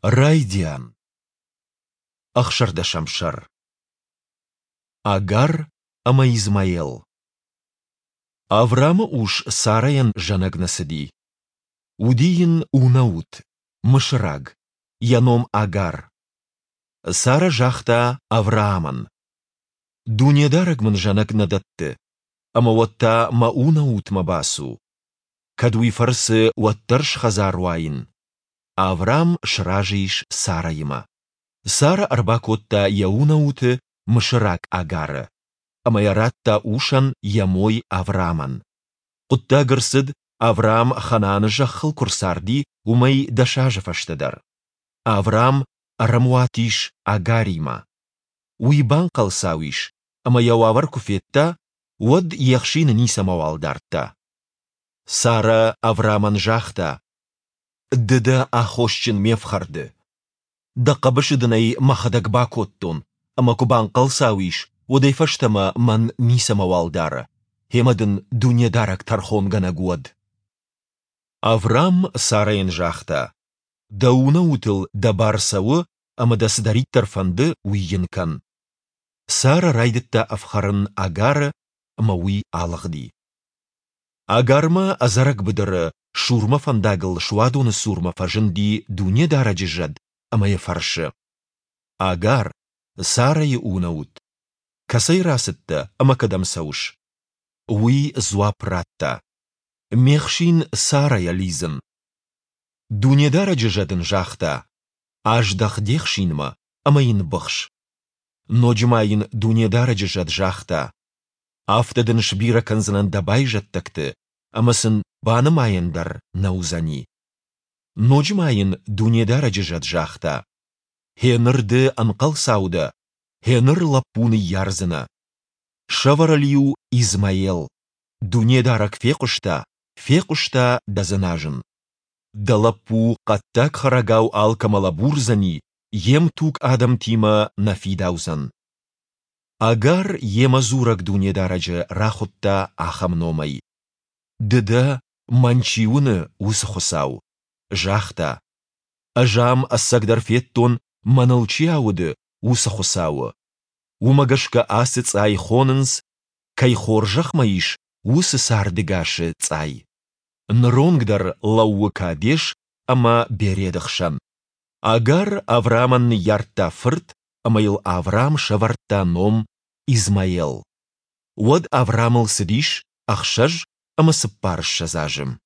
Райдиан. Ӕхсӕрдӕсӕм сӕр. Агар ӕмӕ Измаел. Авраамы ус Сарӕйӕн зӕнӕг нӕ цыди. Уыди йын унӕут, мысыраг, йӕ ном Агар. Сара загъта Авраамӕн: Дунедарӕг мын зӕнӕг нӕ дӕтты, ӕмӕ уӕд та мӕ унӕутмӕ бацу. Кӕд уый фӕрцы уӕддӕр схӕдзар уаин. Авраам сразы ис Сарӕимӕ. Сара ӕрбакодта йӕ унӕуты, мысыраг Агары, ӕмӕ йӕ радта усӕн йӕ мой Авраамӕн. Хъуыддаг ӕрцыд, Авраам Ханааны зӕххыл куы рцарди, уымӕй дӕс азы фӕстӕдӕр. Авраам ӕрӕмуат ис Агаримӕ. Уый банхъӕлцау ис, ӕмӕ йӕ уавӕр куы федта, уӕд йе хсины ницӕмӕуал дардта. Сарӕ Авраамӕн загъта: Ды дӕ аххосджын ме фхӕрды. Дӕ хъӕбысы дын ӕй мӕхӕдӕг бакодтон, ӕмӕ куы банхъӕлцау ис, уӕдӕй фӕстӕмӕ мӕн ницӕмӕуал дары, гъемӕ дын Дунедарӕг тӕрхонгӕнӕг уӕд. Авраам Сарӕйӕн загъта: Дӕ унӕутыл дӕ бар цӕуы ӕмӕ дӕ цыдӕриддӕр фӕнды, уый йын кӕн. Сарӕ райдыдта ӕфхӕрын Агары, ӕмӕ уый алыгъди. Агармӕ ӕдзӕрӕг быдыры Шурмӕ фӕндагыл суадоны цурмӕ фӕзынди Дунедарӕджы зӕд ӕмӕ йӕ фӕрсы: Агар, Сарӕйы унӕут, кӕцӕй рацыдтӕ ӕмӕ кӕдӕм цӕуыс? Уый дзуапп радта: Ме хсин Сарӕйӕ лидзын. Дунедарӕджы зӕд ын загъта: Аздӕх де хсинмӕ ӕмӕ йын быхс. Ноджы ма йын Дунедарӕджы зӕд загъта: Афтӕ дын сбирӕ кӕндзынӕн дӕ байзӕддӕгты, ӕмӕ сын банымайӕн дӕр нӕ уыдзӕни. Ноджы ма йын Дунедарӕджы зӕд загъта: Гъеныр ды ӕнхъӕлцау дӕ, гъеныр лӕппу ныййардзынӕ. Сӕвӕр ыл-иу Измаел. Дунедарӕг фехъуыста, фехъуыста дӕ дзыназын. Дӕ лӕппу хъӕддаг хӕрӕгау алкӕмӕ лӕбурдзӕни, йе мтуг адӕмтимӕ нӕ фидаудзӕн. Агар йемӕ дзурӕг Дунедарӕджы рахуыдта ахӕм номӕй: Ды дӕ, мӕн чи уыны, уыцы Хуыцау. Загъта: Ӕз ам ӕцӕгдӕр федтон, мӕныл чи ауды, уыцы Хуыцауы. Уымӕ гӕсгӕ ацы цъай хонынц, кӕй хорзӕх мӕ ис, уыцы цардӕгасы цъай. Ныронг дӕр лӕууы Кадес ӕмӕ Береды хсӕн. Агар Авраамӕн ныййардта фырт, ӕмӕ йыл Авраам сӕвӕрдта ном Измаел. Уӕд Авраамыл цыдис 26 азы.